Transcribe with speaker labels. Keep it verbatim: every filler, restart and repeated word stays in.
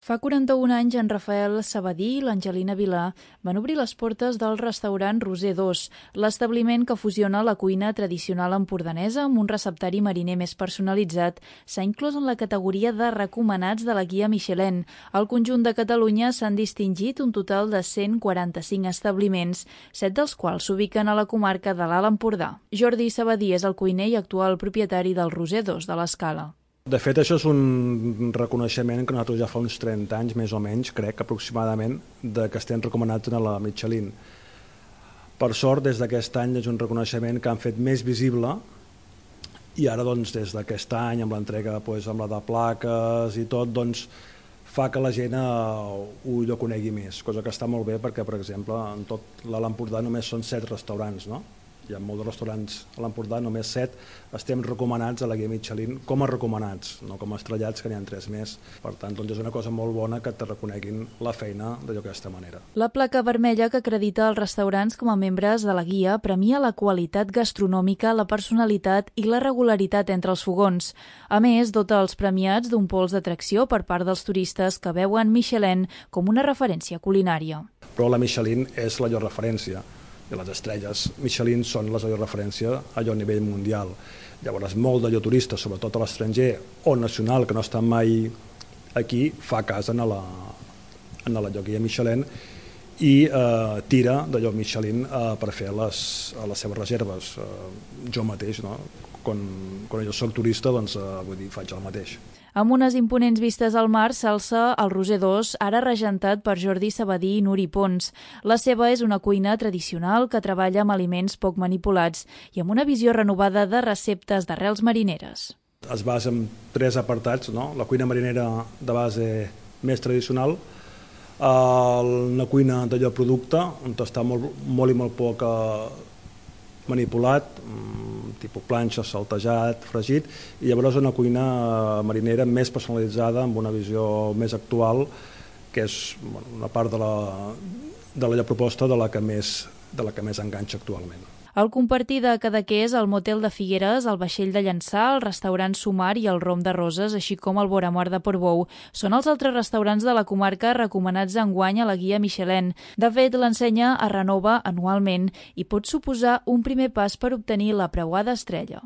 Speaker 1: Fa quaranta-un anys, en Rafael Sabadí i l'Angelina Vilà van obrir les portes del restaurant Roser dos, l'establiment que fusiona la cuina tradicional empordanesa amb un receptari mariner més personalitzat. S'ha inclòs en la categoria de recomanats de la guia Michelin. Al conjunt de Catalunya s'han distingit un total de cent quaranta-cinc establiments, set dels quals s'ubiquen a la comarca de l'Alt Empordà. Jordi Sabadí és el cuiner i actual propietari del Roser dos de l'Escala.
Speaker 2: De fet, això és un reconeixement que nosaltres ja fa uns trenta anys, més o menys, crec, aproximadament, de que estem recomanats a la Michelin. Per sort, des d'aquest any és un reconeixement que han fet més visible i ara, doncs, des d'aquest any, amb l'entrega, doncs, amb la de plaques i tot, doncs, fa que la gent ho, ho conegui més, cosa que està molt bé perquè, per exemple, en tot l'Alt Empordà només són set restaurants, no? Hi ha molts de restaurants a l'Empordà, només set estem recomanats a la guia Michelin com a recomanats, no com a estrellats, que n'hi ha tres més. Per tant, doncs és una cosa molt bona que te reconeguin la feina d'aquesta manera.
Speaker 1: La placa vermella que acredita els restaurants com a membres de la guia premia la qualitat gastronòmica, la personalitat i la regularitat entre els fogons. A més, dota els premiats d'un pols d'atracció per part dels turistes que veuen Michelin com una referència culinària.
Speaker 2: Però la Michelin és la llor referència. I les estrelles Michelin són la llor referència allò a nivell mundial. Llavors, molt d'allò turista, sobretot a l'estranger o nacional, que no estan mai aquí, fa cas en la, en la guia Michelin i eh, tira d'allò Michelin eh, per fer les, les seves reserves. Eh, jo mateix, no? Quan, quan jo soc turista, doncs, eh, vull dir, faig el mateix.
Speaker 1: Amb unes imponents vistes al mar s'alça el Roser dos, ara regentat per Jordi Sabadí i Nuri Pons. La seva és una cuina tradicional que treballa amb aliments poc manipulats i amb una visió renovada de receptes d'arrels marineres.
Speaker 2: Es basa en tres apartats, no? La cuina marinera de base més tradicional, una cuina d'allò producte, on està molt, molt i molt poc manipulat, tipus planxa, saltejat, fregit, i llavors una cuina marinera més personalitzada, amb una visió més actual, que és bueno, una part de la, de la proposta de la que més, de la que més enganxa actualment.
Speaker 1: El compartir de Cadaqués, el Motel de Figueres, el Vaixell de Llançà, el restaurant Sumar i el Rom de Roses, així com el Boramor de Portbou, són els altres restaurants de la comarca recomanats enguany a la guia Michelin. De fet, l'ensenya es renova anualment i pot suposar un primer pas per obtenir la preuada estrella.